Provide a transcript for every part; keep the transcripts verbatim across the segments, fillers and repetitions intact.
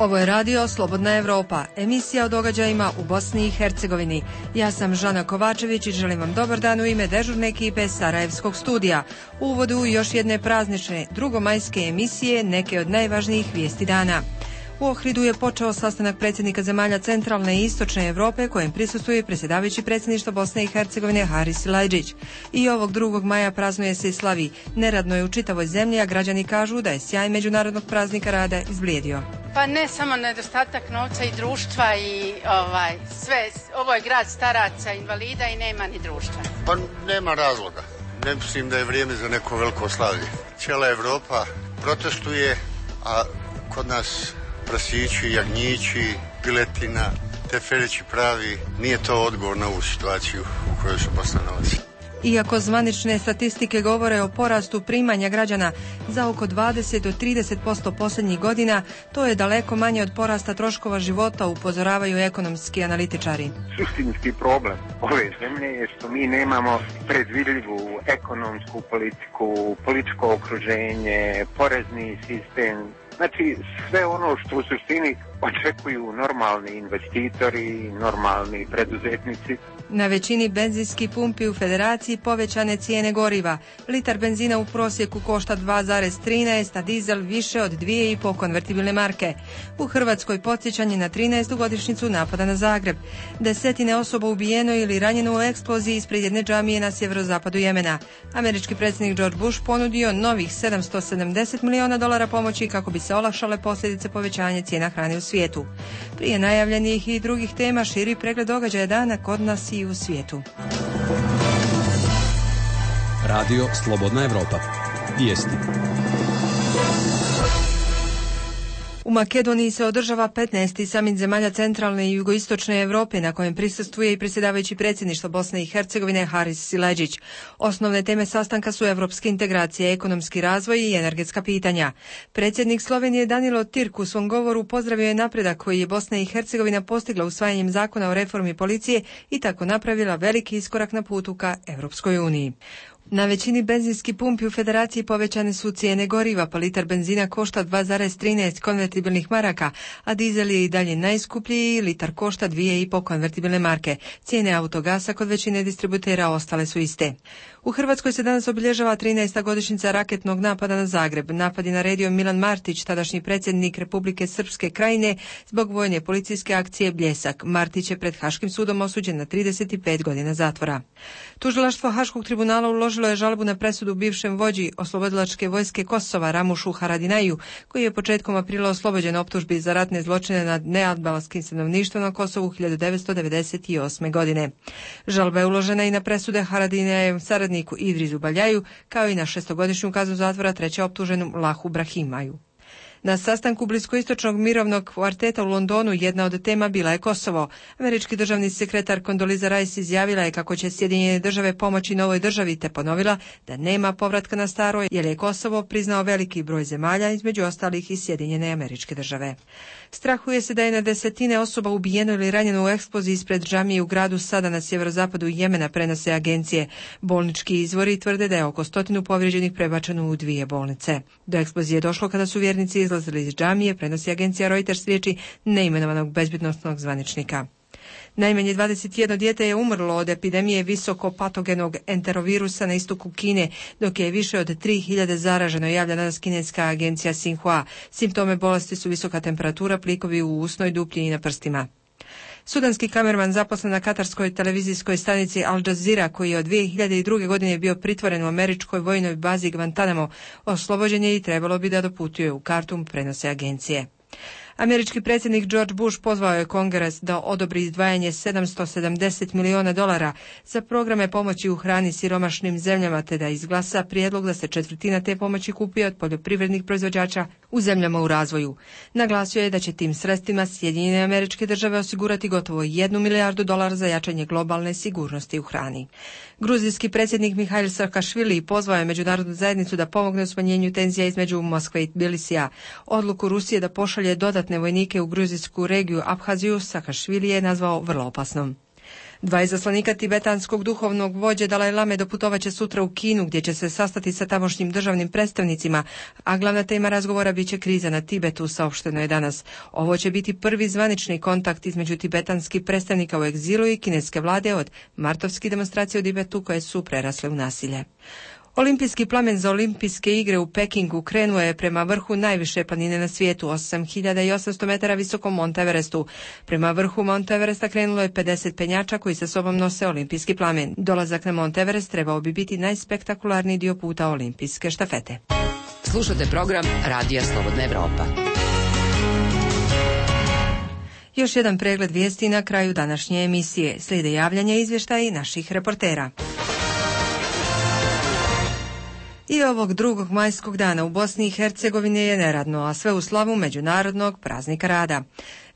Ovo je radio Slobodna Evropa, emisija o događajima u Bosni i Hercegovini. Ja sam Žana Kovačević i želim vam dobar dan u ime dežurne ekipe Sarajevskog studija. U uvodu još jedne praznične, drugomajske emisije, neke od najvažnijih vijesti dana. U Ohridu je počeo sastanak predsjednika zemalja centralne i istočne Europe kojem prisustvuje predsjedavajući predsjedništva Bosne i Hercegovine Haris Silajdžić. I ovog drugog maja praznuje se i slavi. Neradno je u čitavoj zemlji, a građani kažu da je sjaj međunarodnog praznika rada izblijedio. Pa ne samo nedostatak novca i društva i ovaj sve, ovo je grad staraca, invalida i nema ni društva. Pa nema razloga. Ne mislim da je vrijeme za neko veliko slavlje. Cijela Evropa protestuje, a kod nas prasići, jagnjići, piletina, teferići pravi, nije to odgovor na ovu situaciju u kojoj se Bosna nalazi. Iako zvanične statistike govore o porastu primanja građana za oko dvadeset do trideset posto posljednjih godina, to je daleko manje od porasta troškova života, upozoravaju ekonomski analitičari. Suštinski problem ove zemlje je što mi nemamo predvidljivu ekonomsku politiku, političko okruženje, porezni sistem. Znači sve ono što u suštini očekuju normalni investitori, normalni preduzetnici. Na većini benzinskih pumpi u Federaciji povećane cijene goriva. Litar benzina u prosjeku košta dva zarez trinaest, a dizel više od dvije i po konvertibilne marke. U Hrvatskoj podsjećanje na trinaestu godišnjicu napada na Zagreb. Desetine osoba ubijeno ili ranjeno u eksploziji ispred jedne džamije na sjeverozapadu Jemena. Američki predsjednik George Bush ponudio novih sedamsto sedamdeset miliona dolara pomoći kako bi se olakšale posljedice povećanja cijena hrane u svijetu. Prije najavljenih i drugih tema širi pregled događaja dana kod nas i u svijetu. Radio Slobodna Evropa. Vijesti. U Makedoniji se održava petnaesti samit zemalja centralne i jugoistočne Europe na kojem prisustvuje i predsjedavajući predsjedništva Bosne i Hercegovine Haris Silajdžić. Osnovne teme sastanka su evropske integracije, ekonomski razvoj i energetska pitanja. Predsjednik Slovenije Danilo Tirk u svom govoru pozdravio je napredak koji je Bosna i Hercegovina postigla usvajanjem zakona o reformi policije i tako napravila veliki iskorak na putu ka Europskoj uniji. Na većini benzinskih pumpi u Federaciji povećane su cijene goriva, pa litar benzina košta dva zarez trinaest konvertibilnih maraka, a dizel je i dalje najskuplji, litar košta dvije i po konvertibilne marke. Cijene autogasa kod većine distributera ostale su iste. U Hrvatskoj se danas obilježava trinaesta godišnjica raketnog napada na Zagreb. Napad je naredio Milan Martić, tadašnji predsjednik Republike Srpske Krajine, zbog vojne policijske akcije Bljesak. Martić je pred Haškim sudom osuđen na trideset pet godina zatvora. Tužilaštvo Haškog tribunala uložilo je žalbu na presudu bivšem vođi oslobodilačke vojske Kosova Ramušu Haradinaju, koji je početkom aprila oslobođen optužbi za ratne zločine nad nealbanskim stanovništvom na Kosovu hiljadu devetsto devedeset osme. godine. Žalba je uložena i na presude Haradinajevom saradniku Idrisu Baljaju, kao i na šestogodišnju kaznu zatvora treće optuženom Lahu Brahimaju. Na sastanku bliskoistočnog mirovnog kvarteta u Londonu jedna od tema bila je Kosovo. Američki državni sekretar Condoleezza Rice izjavila je kako će Sjedinjene države pomoći novoj državi, te ponovila da nema povratka na staro jer je Kosovo priznao veliki broj zemalja, između ostalih i Sjedinjene Američke Države. Strahuje se da je na desetine osoba ubijeno ili ranjeno u eksploziji ispred džamije u gradu Sada na sjeverozapadu Jemena, prenose agencije. Bolnički izvori tvrde da je oko stotinu povrijeđenih prebačeno u dvije bolnice. Do eksplozije je došlo kada su vjernici izlazili iz džamije, prenosi agencija Reuters riječi neimenovanog bezbjednosnog zvaničnika. Najmanje dvadeset jedno dijete je umrlo od epidemije visokopatogenog enterovirusa na istoku Kine, dok je više od tri hiljade zaraženo, javlja danas kineska agencija Xinhua. Simptome bolesti su visoka temperatura, plikovi u usnoj duplji i na prstima. Sudanski kamerman zaposlen na katarskoj televizijskoj stanici Al Jazeera, koji je od dvije hiljade druge. godine bio pritvoren u američkoj vojnoj bazi Guantanamo, oslobođen je i trebalo bi da doputuje u Kartum, prenose agencije. Američki predsjednik George Bush pozvao je Kongres da odobri izdvajanje sedamsto sedamdeset miliona dolara za programe pomoći u hrani siromašnim zemljama, te da izglasa prijedlog da se četvrtina te pomoći kupi od poljoprivrednih proizvođača u zemljama u razvoju. Naglasio je da će tim sredstvima Sjedinjene Američke Države osigurati gotovo jednu milijardu dolara za jačanje globalne sigurnosti u hrani. Gruzijski predsjednik Mihail Saakašvili pozvao je međunarodnu zajednicu da pomogne u smanjenju tenzija između Moskve i Tbilisija. Odluku Rusije da pošalje dodatne vojnike u gruzijsku regiju Abhaziju Saakašvili je nazvao vrlo opasnom. Dva izaslanika tibetanskog duhovnog vođe Dalaj Lame doputovaće sutra u Kinu, gdje će se sastati sa tamošnjim državnim predstavnicima, a glavna tema razgovora biće kriza na Tibetu, saopšteno je danas. Ovo će biti prvi zvanični kontakt između tibetanskih predstavnika u egzilu i kineske vlade od martovskih demonstracija u Tibetu koje su prerasle u nasilje. Olimpijski plamen za olimpijske igre u Pekingu krenuo je prema vrhu najviše planine na svijetu, osam hiljada osamsto metara visokom Mont Everestu. Prema vrhu Mont Everesta krenulo je pedeset penjača koji sa sobom nose olimpijski plamen. Dolazak na Mont Everest trebao bi biti najspektakularniji dio puta olimpijske štafete. Slušate program Radija Slobodna Evropa. Još jedan pregled vijesti na kraju današnje emisije. Slijede javljanja i izvještaji naših reportera. I ovog drugog majskog dana u Bosni i Hercegovini je neradno, a sve u slavu Međunarodnog praznika rada.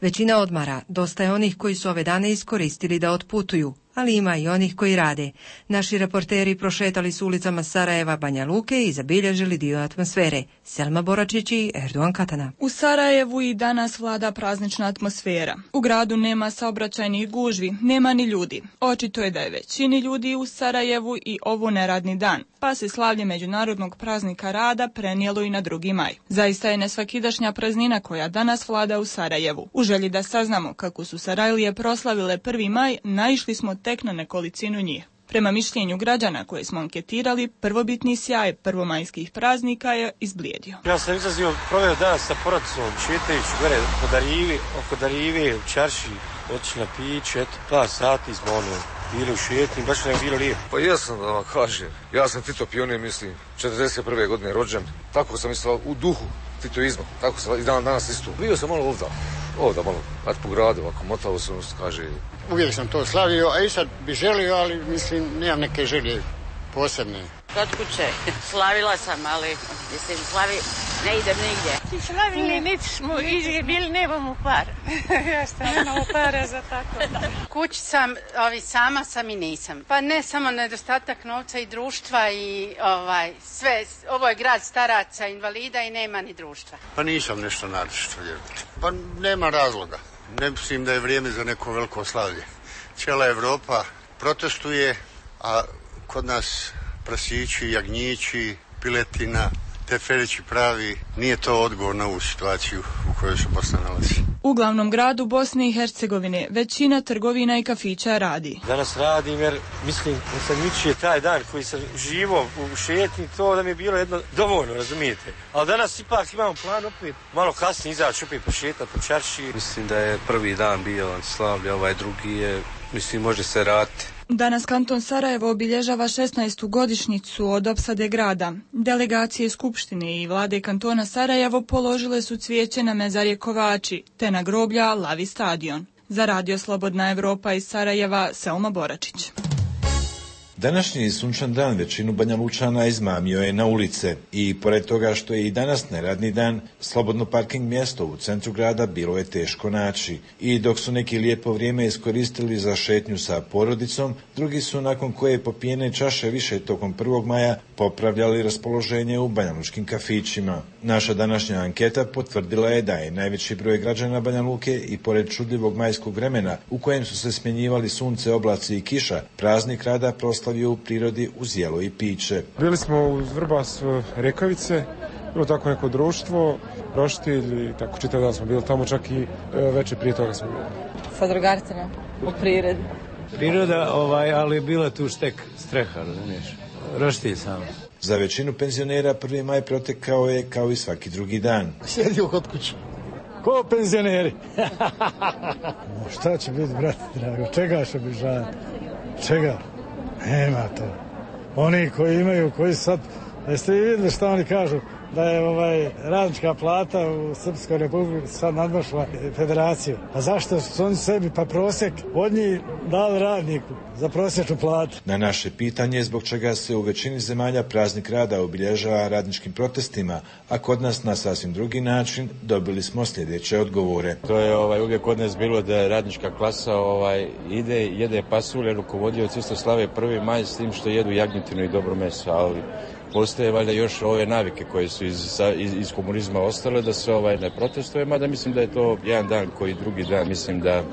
Većina odmara, dosta je onih koji su ove dane iskoristili da otputuju, ali ima i onih koji rade. Naši reporteri prošetali su ulicama Sarajeva, Banja Luke i zabilježili dio atmosfere. Selma Boračić i Erdogan Katana. U Sarajevu i danas vlada praznična atmosfera. U gradu nema saobraćajnih gužvi, nema ni ljudi. Očito je da je većini ljudi u Sarajevu i ovo neradni dan, pa se slavlje Međunarodnog praznika rada prenijelo i na drugi maj. Zaista je nesvakidašnja praznina koja danas vlada u Sarajevu. U želji da saznamo kako su Sarajlije proslavile prvi maj, naišli smo tek na nekolicinu njih. Prema mišljenju građana koje smo anketirali, prvobitni sjaj prvomajskih praznika je izblijedio. Ja sam izlazio, proveo dan sa porodicom, šetajući gore po Darivi, oko Darive, u Čarši, otišli na piće, eto, par sati smo ono, bili u šetnji, baš nam je bilo lijepo. Pa jesam da vam kažem, ja sam Tito pionir, mislim, četrdeset prve godine rođen, tako sam mislio u duhu titoizma, tako sam i dan danas isto. Bio sam malo ovdje, ovdje malo, kad po gradu, ovako, motalo sam, kaže. Uvijek sam to slavio, a i sad bi želio, ali mislim, nemam neke želje posebne. Kod kuće, slavila sam, ali mislim, slavi, ne idem nigdje. Slavili, niti smo izgubili, nemamo para. Ja što nemamo para za tako. Kući sam, ovi, sama sam i nisam. Pa ne samo nedostatak novca i društva i ovaj, sve, ovo je grad staraca, invalida i nema ni društva. Pa nisam nešto naročito, vjerujte. Pa nema razloga. Ne mislim da je vrijeme za neko veliko slavlje. Cijela Evropa protestuje, a kod nas prasići, jagnjići, piletina, teferići pravi, nije to odgovor na ovu situaciju u kojoj se Bosna nalazi. U glavnom gradu Bosne i Hercegovine većina trgovina i kafića radi. Danas radim jer mislim da sam jučer taj dan koji sam živo u šetnji, to da mi je bilo jedno dovoljno, razumijete. Ali danas ipak imamo plan opet malo kasnije izaći opet pošetati po Čarši. Mislim da je prvi dan bio slavlje, ovaj drugi je, mislim, može se raditi. Danas kanton Sarajevo obilježava šesnaestu godišnjicu od opsade grada. Delegacije Skupštine i vlade kantona Sarajevo položile su cvijeće na mezarje Kovači, te na groblja Lavi stadion. Za Radio Slobodna Evropa iz Sarajeva, Selma Boračić. Današnji sunčan dan većinu Banja Lučana izmamio je na ulice i pored toga što je i danas neradni dan, slobodno parking mjesto u centru grada bilo je teško naći. I dok su neki lijepo vrijeme iskoristili za šetnju sa porodicom, drugi su nakon koje popijene čaše više tokom prvog maja popravljali raspoloženje u banjalučkim kafićima. Naša današnja anketa potvrdila je da je najveći broj građana Banja Luke i pored čudljivog majskog vremena u kojem su se smjenjivali sunce, oblaci i kiša, praznik rada proslavio u prirodi uz jelo i piće. Bili smo uz Vrbas Rekavice, bilo tako neko društvo, roštilj i tako čitav dan smo bili tamo, čak i večer prije toga smo bili. Sa drugarcima u prirodi. Priroda, ovaj, ali bila tu štek streha, razumiješ, roštilj samo. Za većinu penzionera prvi maj protekao je kao i svaki drugi dan. Sjedio kod kuće. Ko penzioneri? Šta će biti, brate drago, čega će biti žan? Čega? Nema to. Oni koji imaju, koji sad, jeste vi vidjeli šta oni kažu, da je ovaj radnička plata u Srpskoj republici sad nadmašla federaciju. A zašto su oni sebi pa prosjek od njih dali radniku za prosječnu platu? Na naše pitanje zbog čega se u većini zemalja praznik rada obilježava radničkim protestima, a kod nas na sasvim drugi način, dobili smo sljedeće odgovore. To je ovaj uvijek kod nas bilo da radnička klasa ovaj ide, jede pasulje, rukovodioci isto slave prvi maj s tim što jedu jagnjetinu i dobro meso, ali postoje valjda još ove navike koje su iz, iz, iz komunizma ostale da se ovaj ne protestuje, mada mislim da je to jedan dan koji drugi dan, mislim da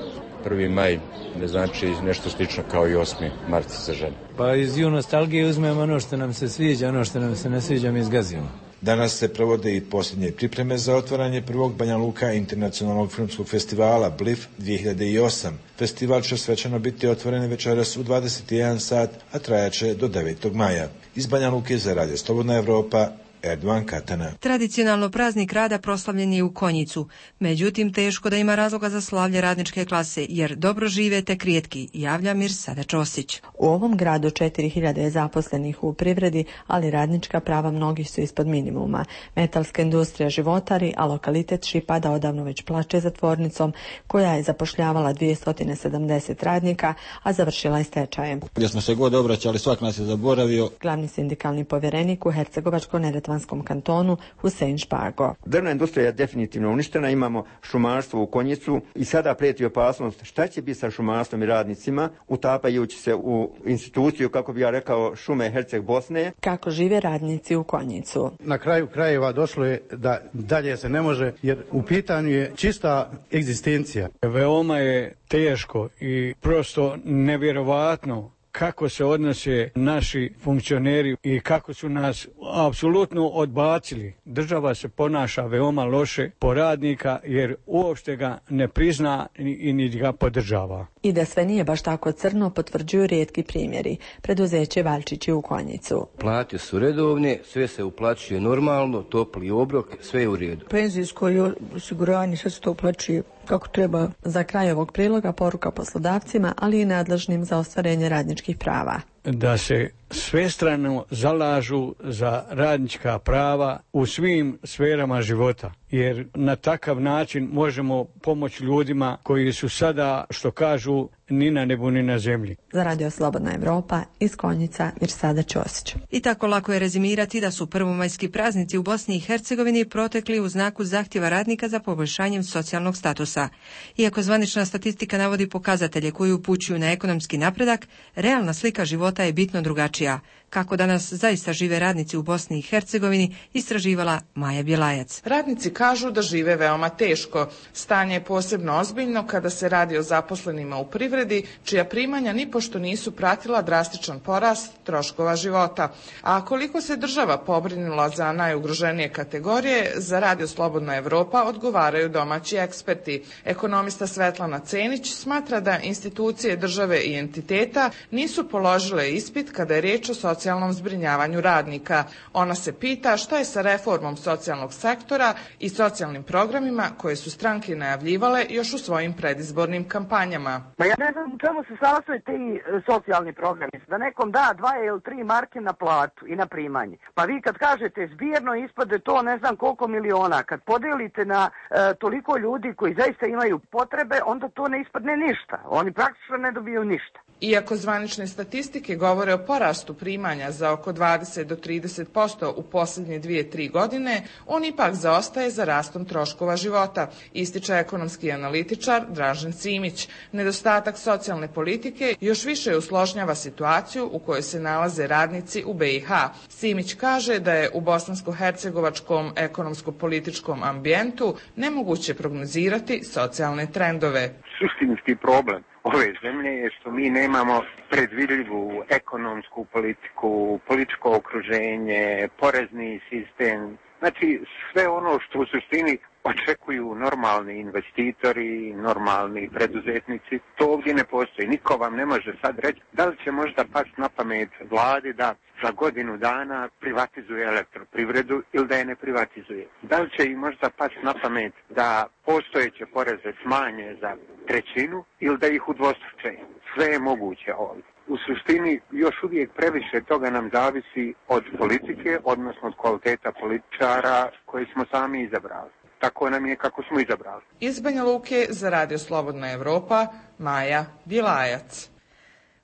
prvi maj ne znači nešto slično kao i osmi mart za žene. Pa iz ju nostalgije uzmemo ono što nam se sviđa, ono što nam se ne sviđa mi izgazimo. Danas se provode i posljednje pripreme za otvaranje prvog Banja Luka internacionalnog filmskog festivala B L I F dvije hiljade osam. Festival će svečano biti otvoren večeras u dvadeset jedan sat, a trajaće do devetog maja. Iz Banja Luke za Radio Slobodna Evropa, Erdovan Katana. Tradicionalno praznik rada proslavljen je u Konjicu. Međutim, teško da ima razloga za slavlje radničke klase, jer dobro žive tek rijetki, javlja Mirsada Ćosić. U ovom gradu četiri hiljade je zaposlenih u privredi, ali radnička prava mnogih su ispod minimuma. Metalska industrija životari, a lokalitet Šipada odavno već plače za tvornicom, koja je zapošljavala dvjesto sedamdeset radnika, a završila je stečajem. Gdje smo se god obraćali, svak nas je zaboravio. Glavni sindikalni povjerenik u Hercegovačko-neretvanskom kantonu Husein Špago. Drvna industrija je definitivno uništena, imamo šumarstvo u Konjicu i sada prijeti opasnost šta će biti sa šumarstvom i radnicima, utapajući se u instituciju, kako bi ja rekao, šume Herceg Bosne. Kako žive radnici u Konjicu? Na kraju krajeva došlo je da dalje se ne može, jer u pitanju je čista egzistencija. Veoma je teško i prosto nevjerovatno kako se odnose naši funkcioneri i kako su nas apsolutno odbacili. Država se ponaša veoma loše po radnika jer uopšte ga ne prizna i ni ga podržava. I da sve nije baš tako crno potvrđuju rijetki primjeri. Preduzeće Valčići u Konjicu. Plate su redovne, sve se uplaćuje normalno, topli obrok, sve je u redu. Penzijsko i osiguranje, sve se to uplaćuje kako treba. Za kraj ovog priloga poruka poslodavcima, ali i nadležnim za ostvarenje radničkih prava. Da se svestrano zalažu za radnička prava u svim sferama života, jer na takav način možemo pomoći ljudima koji su sada, što kažu, ni na nebu ni na zemlji. Za Radio Slobodna Evropa iz Konjica, Mirsada Ćosić. I tako lako je rezimirati da su prvomajski praznici u Bosni i Hercegovini protekli u znaku zahtjeva radnika za poboljšanjem socijalnog statusa. Iako zvanična statistika navodi pokazatelje koji upućuju na ekonomski napredak, realna slika života je bitno drugačija. Kako danas zaista žive radnici u Bosni i Hercegovini, istraživala Maja Bjelajac. Radnici kažu da žive veoma teško. Stanje je posebno ozbiljno kada se radi o zaposlenima u privredi, čija primanja nipošto nisu pratila drastičan porast troškova života. A koliko se država pobrinula za najugroženije kategorije, za Radio Slobodna Evropa odgovaraju domaći eksperti. Ekonomista Svetlana Cenić smatra da institucije države i entiteta nisu položile ispit kada je riječ o socijalnom zbrinjavanju radnika. Ona se pita šta je sa reformom socijalnog sektora i socijalnim programima koje su stranke najavljivale još u svojim predizbornim kampanjama. Ma ja ne znam u čemu se sastoje ti socijalni programi. Da nekom da dva ili tri marke na platu i na primanje. Pa vi kad kažete zbirno ispade to ne znam koliko miliona. Kad podelite na e, toliko ljudi koji zaista imaju potrebe, onda to ne ispadne ništa. Oni praktično ne dobiju ništa. Iako zvanične statistike govore o porastu primanja za oko dvadeset do trideset posto u posljednje dvije, tri godine, on ipak zaostaje za rastom troškova života, ističe ekonomski analitičar Dražen Simić. Nedostatak socijalne politike još više usložnjava situaciju u kojoj se nalaze radnici u B i H. Simić kaže da je u bosansko-hercegovačkom ekonomsko-političkom ambijentu nemoguće prognozirati socijalne trendove. Suštinski problem ove zemlje je što mi nemamo predvidljivu ekonomsku politiku, političko okruženje, porezni sistem. Znači sve ono što u suštini očekuju normalni investitori, normalni preduzetnici, to ovdje ne postoji. Niko vam ne može sad reći da li će možda pasti na pamet vladi da za godinu dana privatizuje elektroprivredu ili da je ne privatizuje. Da li će im možda pasti na pamet da postojeće poreze smanje za trećinu ili da ih udvostruče. Sve je moguće ovdje. U suštini još uvijek previše toga nam zavisi od politike, odnosno od kvaliteta političara koji smo sami izabrali. Tako nam je kako smo izabrali. Iz Banja Luke za Radio Slobodna Evropa, Maja Bjelajac.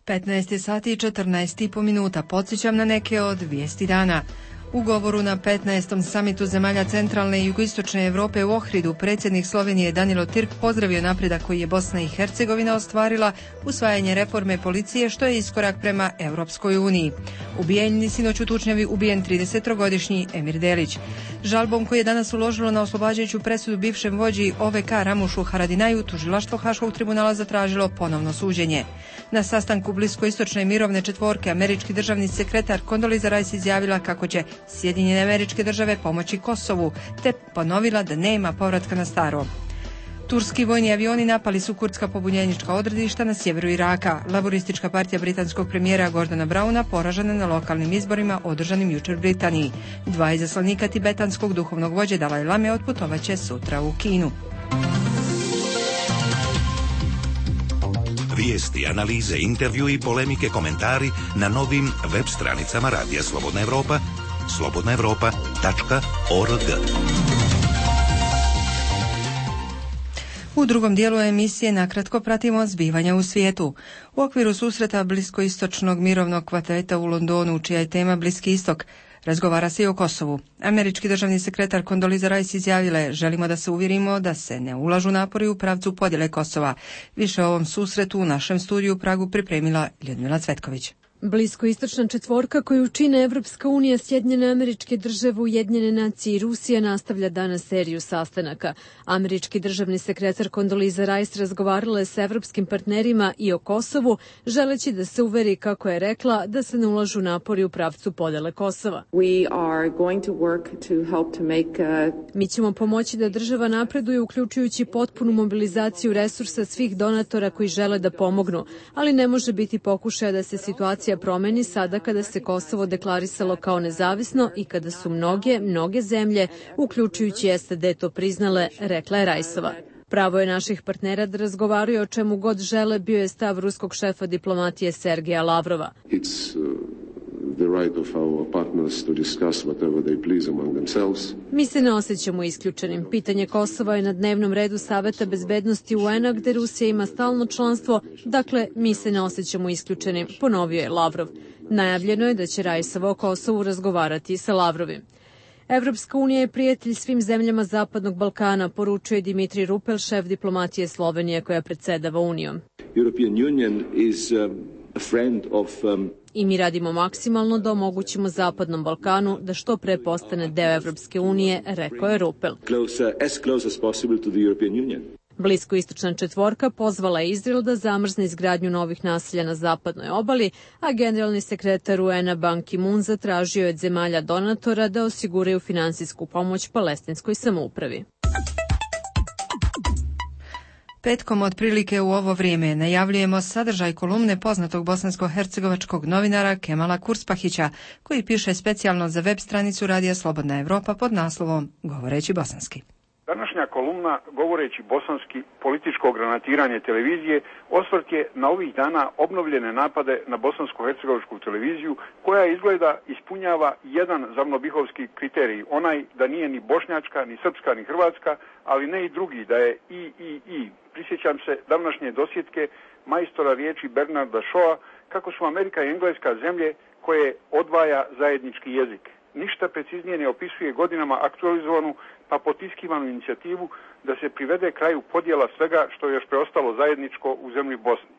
petnaest sati i četrnaest i po minuta. Podsjećam na neke od vijesti dana. U govoru na petnaestom samitu zemalja centralne i jugoistočne Europe u Ohridu, predsjednik Slovenije Danilo Türk pozdravio napredak koji je Bosna i Hercegovina ostvarila, usvajanje reforme policije, što je iskorak prema Europskoj uniji. Ubijen sinoć u tučnjavi ubijen tridesetogodišnji Emir Delić. Žalbom koji je danas uložilo na oslobađajuću presudu bivšem vođi O V K Ramušu Haradinaju, tužilaštvo Haškog tribunala zatražilo ponovno suđenje. Na sastanku bliskoistočne mirovne četvorke američki državni sekretar Condoleezza Rice izjavila kako će Sjedinjene Američke Države pomoći Kosovu, te ponovila da nema povratka na staro. Turski vojni avioni napali su kurdska pobunjenička odredišta na sjeveru Iraka. Laboristička partija britanskog premijera Gordona Browna poražena na lokalnim izborima održanim jučer u Britaniji. Dva izaslanika tibetanskog duhovnog vođe Dalaj Lame otputovaće sutra u Kinu. Vijesti, analize, intervju i polemike, komentari na novim web stranicama Radija Slobodna Evropa, slobodna evropa tačka org. U drugom dijelu emisije nakratko pratimo zbivanja u svijetu. U okviru susreta bliskoistočnog mirovnog kvarteta u Londonu, čija je tema Bliski istok, razgovara se i o Kosovu. Američki državni sekretar Condoleezza Rice izjavila je: želimo da se uvjerimo da se ne ulažu napori u pravcu podjele Kosova. Više o ovom susretu u našem studiju u Pragu pripremila Ljudmila Cvetković. Bliskoistočna četvorka koju čine Evropska unija, Sjedinjene Američke Države, Ujedinjene nacije i Rusija nastavlja danas seriju sastanaka. Američki državni sekretar Condoleezza Rice razgovarala je s evropskim partnerima i o Kosovu, želeći da se uveri, kako je rekla, da se ne ulažu napori u pravcu podjele Kosova. We are going to work to help to make, uh... Mi ćemo pomoći da država napreduje, uključujući potpunu mobilizaciju resursa svih donatora koji žele da pomognu, ali ne može biti pokušaja da se situacija promeni sada kada se Kosovo deklarisalo kao nezavisno i kada su mnoge, mnoge zemlje, uključujući S A D, to priznale, rekla je Rajsova. Pravo je naših partnera da razgovaraju o čemu god žele, bio je stav ruskog šefa diplomatije Sergeja Lavrova. It's, uh... the right of our partners to discuss whatever they please among themselves. Mi se ne osjećamo isključenim. Pitanje Kosova je na dnevnom redu Saveta bezbednosti U N-a, gde Rusija ima stalno članstvo, dakle, mi se ne osjećamo isključenim, ponovio je Lavrov. Najavljeno je da će Rajsova o Kosovu razgovarati sa Lavrovim. Evropska unija je prijatelj svim zemljama Zapadnog Balkana, poručuje Dimitrij Rupel, šef diplomatije Slovenije koja predsjedava Unijom. European Union is um, a friend of um, I mi radimo maksimalno da omogućimo Zapadnom Balkanu da što pre postane deo Evropske unije, rekao je Rupel. Closer, as close as possible to the European Union. Bliskoistočna četvorka pozvala je Izrael da zamrzne izgradnju novih naselja na zapadnoj obali, a generalni sekretar U N-a Ban Ki-moon zatražio je od zemalja donatora da osiguraju finansijsku pomoć palestinskoj samoupravi. Petkom otprilike u ovo vrijeme najavljujemo sadržaj kolumne poznatog bosansko-hercegovačkog novinara Kemala Kurspahića, koji piše specijalno za web stranicu Radija Slobodna Evropa pod naslovom Govoreći bosanski. Današnja kolumna Govoreći bosanski, političko granatiranje televizije, osvrt je na ovih dana obnovljene napade na bosansko-hercegovačku televiziju, koja izgleda ispunjava jedan zamnobihovski kriterij, onaj da nije ni bošnjačka, ni srpska, ni hrvatska, ali ne i drugi, da je i, i, i. Prisjećam se davnašnje dosjetke majstora riječi Bernarda Shawa kako su Amerika i Engleska zemlje koje odvaja zajednički jezik. Ništa preciznije ne opisuje godinama aktualizovanu pa potiskivanu inicijativu da se privede kraju podjela svega što je još preostalo zajedničko u zemlji Bosni.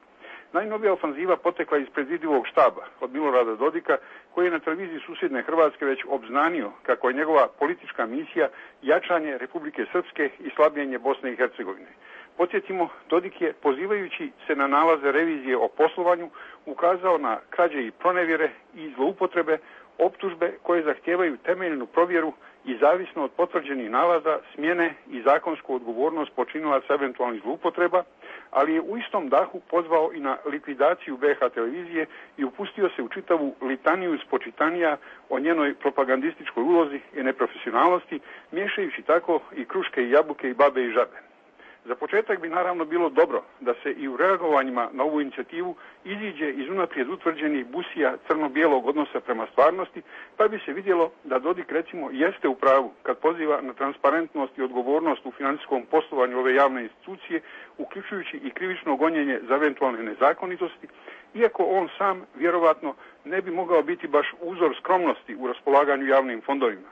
Najnovija ofanziva potekla iz predvidivog štaba od Milorada Dodika, koji je na televiziji susjedne Hrvatske već obznanio kako je njegova politička misija jačanje Republike Srpske i slabljenje Bosne i Hercegovine. Podsjetimo, Dodik je, pozivajući se na nalaze revizije o poslovanju, ukazao na krađe i pronevjere i zloupotrebe, optužbe koje zahtijevaju temeljnu provjeru i zavisno od potvrđenih nalaza smjene i zakonsku odgovornost počinilaca eventualnih zloupotreba, ali je u istom dahu pozvao i na likvidaciju B H televizije i upustio se u čitavu litaniju spočitanija o njenoj propagandističkoj ulozi i neprofesionalnosti, miješajući tako i kruške i jabuke i babe i žabe. Za početak bi naravno bilo dobro da se i u reagovanjima na ovu inicijativu iziđe iz unaprijed utvrđenih busija crno-bijelog odnosa prema stvarnosti, pa bi se vidjelo da Dodik recimo jeste u pravu kad poziva na transparentnost i odgovornost u financijskom poslovanju ove javne institucije, uključujući i krivično gonjenje za eventualne nezakonitosti, iako on sam vjerovatno ne bi mogao biti baš uzor skromnosti u raspolaganju javnim fondovima.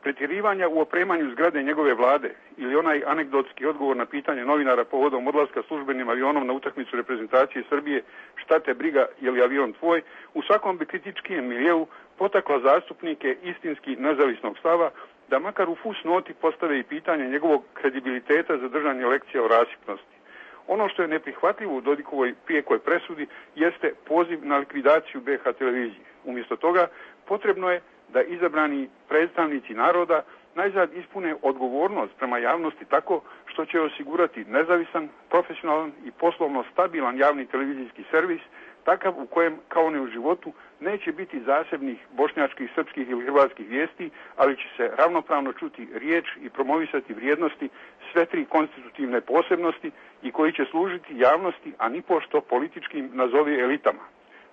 Pretjerivanja u opremanju zgrade njegove vlade ili onaj anegdotski odgovor na pitanje novinara povodom odlaska službenim avionom na utakmicu reprezentacije Srbije, šta te briga, je li avion tvoj, u svakom bi kritičkijem miljeu potakla zastupnike istinski nezavisnog stava da makar u fus noti postave i pitanje njegovog kredibiliteta za držanje lekcija o rasipnosti. Ono što je neprihvatljivo u Dodikovoj prijekoj presudi jeste poziv na likvidaciju B H televizije. Umjesto toga potrebno je da izabrani predstavnici naroda najzad ispune odgovornost prema javnosti tako što će osigurati nezavisan, profesionalan i poslovno stabilan javni televizijski servis, takav u kojem, kao ne u životu, neće biti zasebnih bošnjačkih, srpskih ili hrvatskih vijesti, ali će se ravnopravno čuti riječ i promovisati vrijednosti sve tri konstitutivne posebnosti i koji će služiti javnosti, a nipošto političkim nazovi elitama.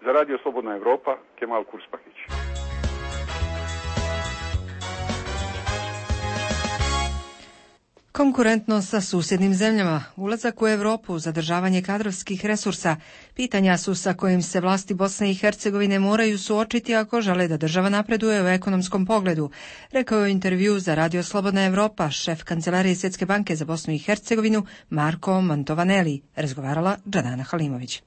Za Radio Slobodna Evropa, Kemal Kurspahić. Konkurentnost sa susjednim zemljama, ulazak u Europu, zadržavanje kadrovskih resursa, pitanja su sa kojim se vlasti Bosne i Hercegovine moraju suočiti ako žele da država napreduje u ekonomskom pogledu, rekao je u intervju za Radio Slobodna Evropa šef kancelarije Svjetske banke za Bosnu i Hercegovinu Marko Mantovaneli, razgovarala Džanana Halimović.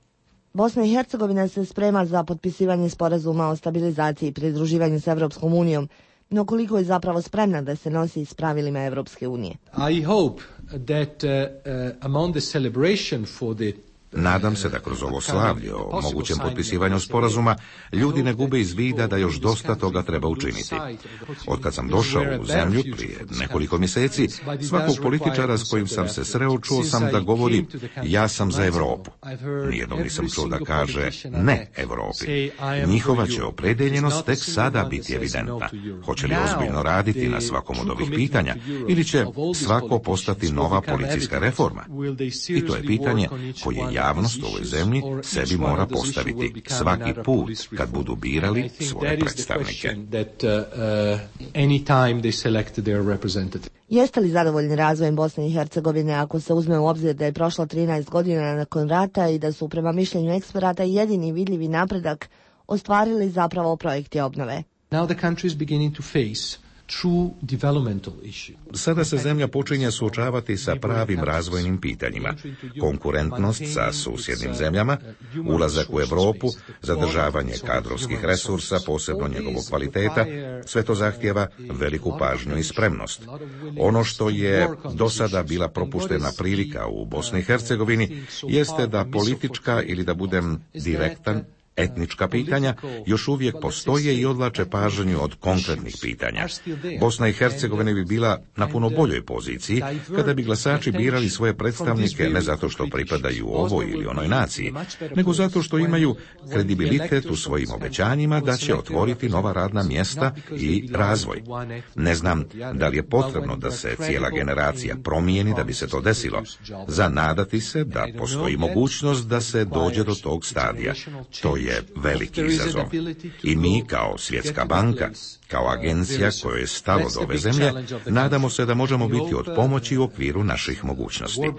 Bosna i Hercegovina se sprema za potpisivanje sporazuma o stabilizaciji i pridruživanju s Evropskom unijom, no koliko je zapravo spremna da se nosi s pravilima Evropske unije. I hope that uh, uh, among the celebration for the Nadam se da kroz ovo slavlje o mogućem potpisivanju sporazuma ljudi ne gube iz vida da još dosta toga treba učiniti. Od kad sam došao u zemlju prije nekoliko mjeseci, svakog političara s kojim sam se sreo čuo sam da govori ja sam za Europu. Nijednog nisam čuo da kaže ne Europi. Njihova će opredeljenost tek sada biti evidentna. Hoće li ozbiljno raditi na svakom od ovih pitanja ili će svako postati nova policijska reforma? I to je pitanje koje javnost u ovoj zemlji sebi mora postaviti svaki put kad budu birali svoje predstavnike. Jeste li zadovoljni razvojem Bosne i Hercegovine ako se uzme u obzir da je prošlo trinaest godina nakon rata i da su prema mišljenju eksperata jedini vidljivi napredak ostvarili zapravo projekti obnove? Now the country is beginning to face Sada se zemlja počinje suočavati sa pravim razvojnim pitanjima. Konkurentnost sa susjednim zemljama, ulazak u Europu, zadržavanje kadrovskih resursa, posebno njegovog kvaliteta, sve to zahtijeva veliku pažnju i spremnost. Ono što je do sada bila propuštena prilika u Bosni i Hercegovini jeste da politička ili da budem direktan, etnička pitanja još uvijek postoje i odvlače pažnju od konkretnih pitanja. Bosna i Hercegovina bi bila na puno boljoj poziciji kada bi glasači birali svoje predstavnike ne zato što pripadaju ovoj ili onoj naciji, nego zato što imaju kredibilitet u svojim obećanjima da će otvoriti nova radna mjesta i razvoj. Ne znam da li je potrebno da se cijela generacija promijeni da bi se to desilo. Zanadati se da postoji mogućnost da se dođe do tog stadija. To je je veliki izazov. I mi kao Svjetska banka, kao agencija kojoj je stalo do ove zemlje, nadamo se da možemo biti od pomoći u okviru naših mogućnosti.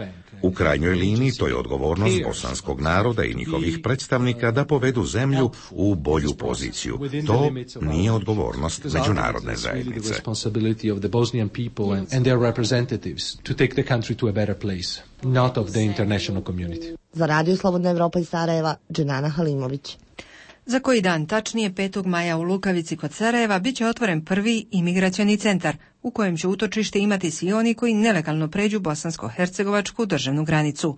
U krajnjoj liniji to je odgovornost bosanskog naroda i njihovih predstavnika da povedu zemlju u bolju poziciju. To nije odgovornost međunarodne zajednice. Za Radio Slobodna Evropa iz Sarajeva, Dženana Halimović. Za koji dan, tačnije petog maja u Lukavici kod Sarajeva, bit će otvoren prvi imigracioni centar, u kojem će utočište imati svi oni koji nelegalno pređu bosansko-hercegovačku državnu granicu.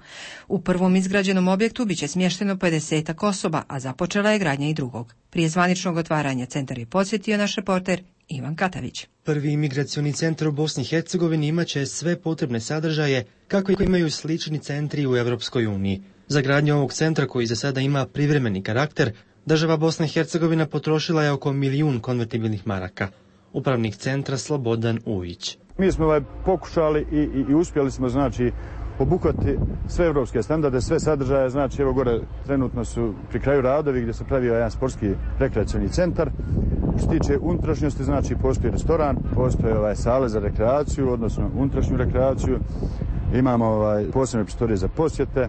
U prvom izgrađenom objektu bit će smješteno pedesetak osoba, a započela je gradnja i drugog. Prije zvaničnog otvaranja centar je posjetio naš reporter Ivan Katavić. Prvi imigracioni centar u Bosni i Hercegovini imaće sve potrebne sadržaje kako imaju slični centri u Europskoj uniji. Za gradnju ovog centra, koji za sada ima privremeni karakter, država Bosna i Hercegovina potrošila je oko milijun konvertibilnih maraka. Upravnik centra Slobodan Ujić. Mi smo ovaj pokušali i, i, i uspjeli smo znači obuhvati sve evropske standarde, sve sadržaje. Znači, evo gore trenutno su pri kraju radovi gdje se pravio jedan sportski rekreacioni centar. Što se tiče unutrašnjosti, znači postoji restoran, postoje ovaj, sale za rekreaciju, odnosno unutrašnju rekreaciju. Imamo ovaj, posebne prostorije za posjete.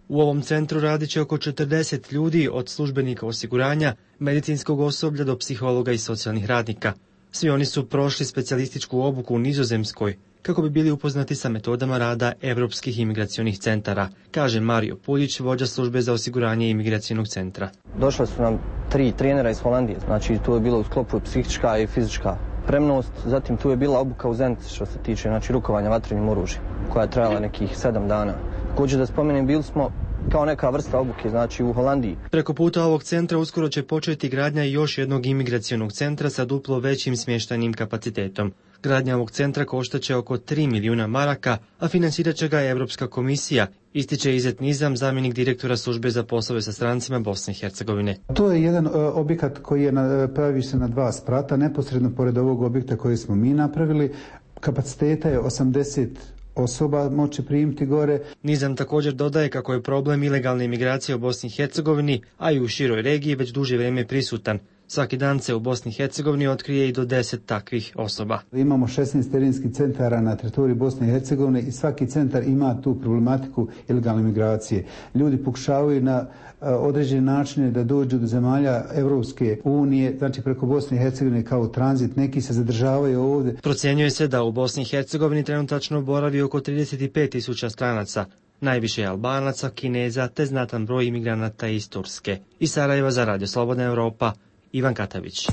U ovom centru radit će oko četrdeset ljudi, od službenika osiguranja, medicinskog osoblja do psihologa i socijalnih radnika. Svi oni su prošli specijalističku obuku u Nizozemskoj, kako bi bili upoznati sa metodama rada evropskih imigracionih centara, kaže Mario Puljić, vođa službe za osiguranje imigracionog centra. Došla su nam tri trenera iz Holandije, znači tu je bilo u sklopu psihička i fizička spremnost, zatim tu je bila obuka u Zenici što se tiče znači, rukovanja vatrenim oružjem, koja je trajala nekih sedam dana. Također da spomenem, bili smo kao neka vrsta obuke, znači u Holandiji. Preko puta ovog centra uskoro će početi gradnja još jednog imigracionog centra sa duplo većim smještajnim kapacitetom. Gradnja ovog centra koštaće oko tri milijuna maraka, a financirat će ga Europska komisija, ističe Izet Nizam, zamjenik direktora službe za poslove sa strancima Bosne i Hercegovine. To je jedan objekat koji je na, pravi se na dva sprata, neposredno pored ovog objekta koji smo mi napravili. Kapaciteta je osamdeset osoba moće primiti gore. Nizam također dodaje kako je problem ilegalne imigracije u Bosni i Hercegovini, a i u široj regiji već duže vrijeme prisutan. Svaki dan se u Bosni i Hercegovini otkrije i do deset takvih osoba. Imamo šesnaest terenskih centara na teritoriji Bosne i Hercegovine i svaki centar ima tu problematiku ilegalne migracije. Ljudi pokušavaju na određene načine da dođu do zemalja Evropske unije, znači preko Bosne i Hercegovine kao tranzit, neki se zadržavaju ovdje. Procjenjuje se da u Bosni i Hercegovini trenutačno boravi oko trideset pet tisuća stranaca. Najviše je Albanaca, Kineza te znatan broj imigranata iz Turske. Iz Sarajeva za Radio Slobodna Evropa, Ivan Katavić.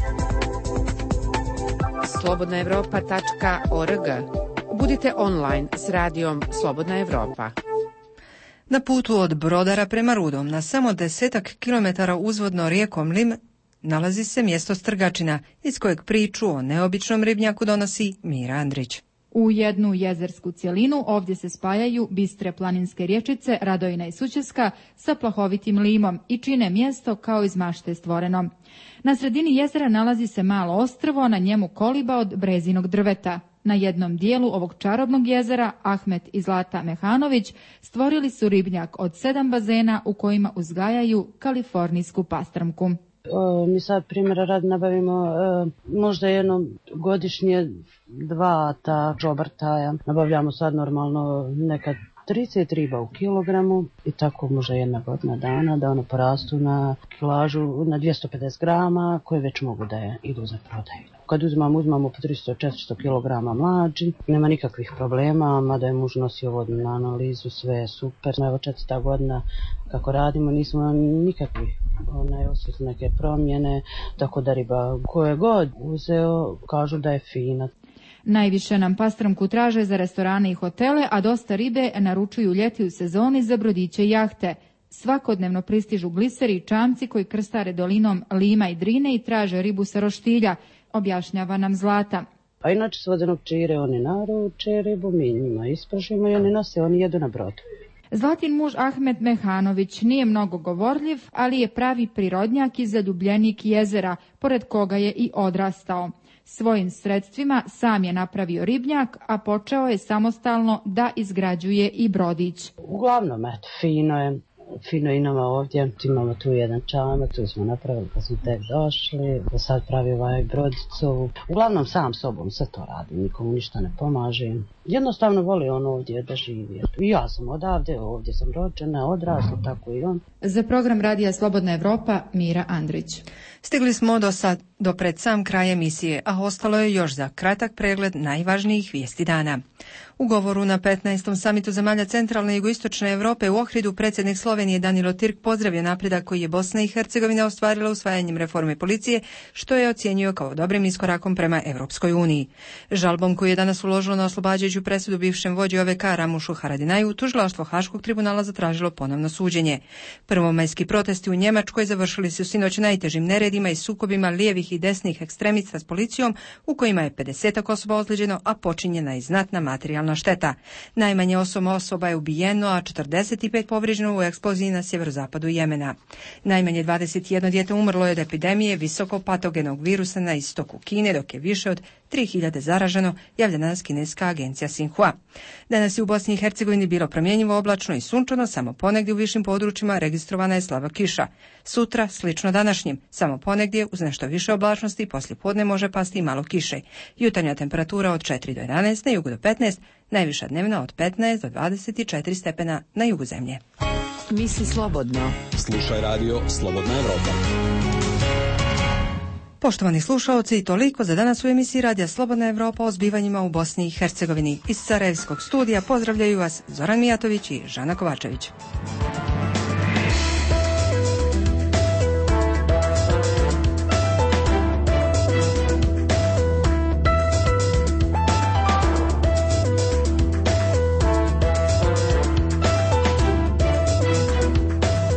slobodna evropa tačka org. Budite online s radijom Slobodna Evropa. Na putu od Brodara prema Rudom, na samo desetak kilometara uzvodno rijekom Lim, nalazi se mjesto Strgačina, iz kojeg priču o neobičnom ribnjaku donosi Mira Andrić. U jednu jezersku cjelinu ovdje se spajaju bistre planinske rječice Radojna i Sućeska sa plahovitim limom i čine mjesto kao iz mašte stvoreno. Na sredini jezera nalazi se malo ostrvo, na njemu koliba od brezinog drveta. Na jednom dijelu ovog čarobnog jezera Ahmet i Zlata Mehanović stvorili su ribnjak od sedam bazena u kojima uzgajaju kalifornijsku pastrmku. O, mi sad primjera rad nabavimo e, možda jedno godišnje dva ta džobartaja. Nabavljamo sad normalno nekad trideset riba u kilogramu i tako možda jedna godina dana da ono porastu na kilažu na dvjesto pedeset grama koje već mogu da je idu za prodaju. Kad uzmamo, uzmamo po tristo do četiristo kilograma mlađi, nema nikakvih problema, mada je muž nosio vodnu na analizu, sve je super. Evo četvrta godina kako radimo, nismo nikakvih onaj, osjetili neke promjene, tako da riba koje god uzeo kažu da je fina. Najviše nam pastrmku traže za restorane i hotele, a dosta ribe naručuju ljeti u sezoni za brodiće i jahte. Svakodnevno pristižu gliseri i čamci koji krstare dolinom Lima i Drine i traže ribu sa roštilja, objašnjava nam Zlata. A inače s vodenog čire oni naruče ribu, mi njima ispržimo i oni nose, oni jedu na brodu. Zlatin muž Ahmet Mehanović nije mnogo govorljiv, ali je pravi prirodnjak i zaljubljenik jezera, pored koga je i odrastao. Svojim sredstvima sam je napravio ribnjak, a počeo je samostalno da izgrađuje i brodić. Uglavnom, eto, fino je. Fino i nama ovdje, imamo tu jedan čamac, tu smo napravili kad smo tek došli, da sad pravi ovaj brodicu. Uglavnom sam sobom sve to radim, nikomu ništa ne pomažem. Jednostavno voli on ovdje da živi. I ja sam odavde, ovdje sam rođena, odrasla, tako i on. Za program Radija Slobodna Evropa, Mira Andrić. Stigli smo do sad, do pred sam kraj emisije, a ostalo je još za kratak pregled najvažnijih vijesti dana. U govoru na petnaestom samitu zemalja centralne i jugoistočne Europe u Ohridu predsjednik Slovenije Danilo Türk pozdravio napredak koji je Bosna i Hercegovina ostvarila usvajanjem reforme policije, što je ocijenio kao dobrim iskorakom prema Europskoj uniji. Žalbom koju je danas uložilo na oslobađajuću presudu bivšem vođi O V K Ramušu Haradinaju, tužilaštvo Haškog tribunala zatražilo ponovno suđenje. Prvomajski protesti u Njemačkoj završili su sinoć najtežim neredima i sukobima lijevih i desnih ekstremista s policijom, u kojima je pedeset osoba ozlijeđeno, a počinjena je znatna materijalna šteta. Najmanje osam osoba je ubijeno, a četrdeset pet povrijeđeno u eksploziji eksploziji na sjeverozapadu Jemena. Najmanje dvadeset jedno dijete umrlo je od epidemije visoko patogenog virusa na istoku Kine, dok je više od tri hiljade zaraženo, javlja danas kineska agencija Xinhua. Danas je u Bosni i Hercegovini bilo promjenjivo oblačno i sunčano, samo ponegdje u višim područjima registrovana je slaba kiša. Sutra, slično današnjim, samo ponegdje uz nešto više oblačnosti i poslijepodne može pasti i malo kiše. Jutarnja temperatura od četiri do jedanaest, na jugu do petnaest, najviša dnevna od petnaest do dvadeset četiri stepena na jugu zemlje. Misli slobodno. Slušaj radio Slobodna Evropa. Poštovani slušaoci, toliko za danas u emisiji Radija Slobodna Evropa o zbivanjima u Bosni i Hercegovini. Iz Sarajevskog studija pozdravljaju vas Zoran Mijatović i Žana Kovačević.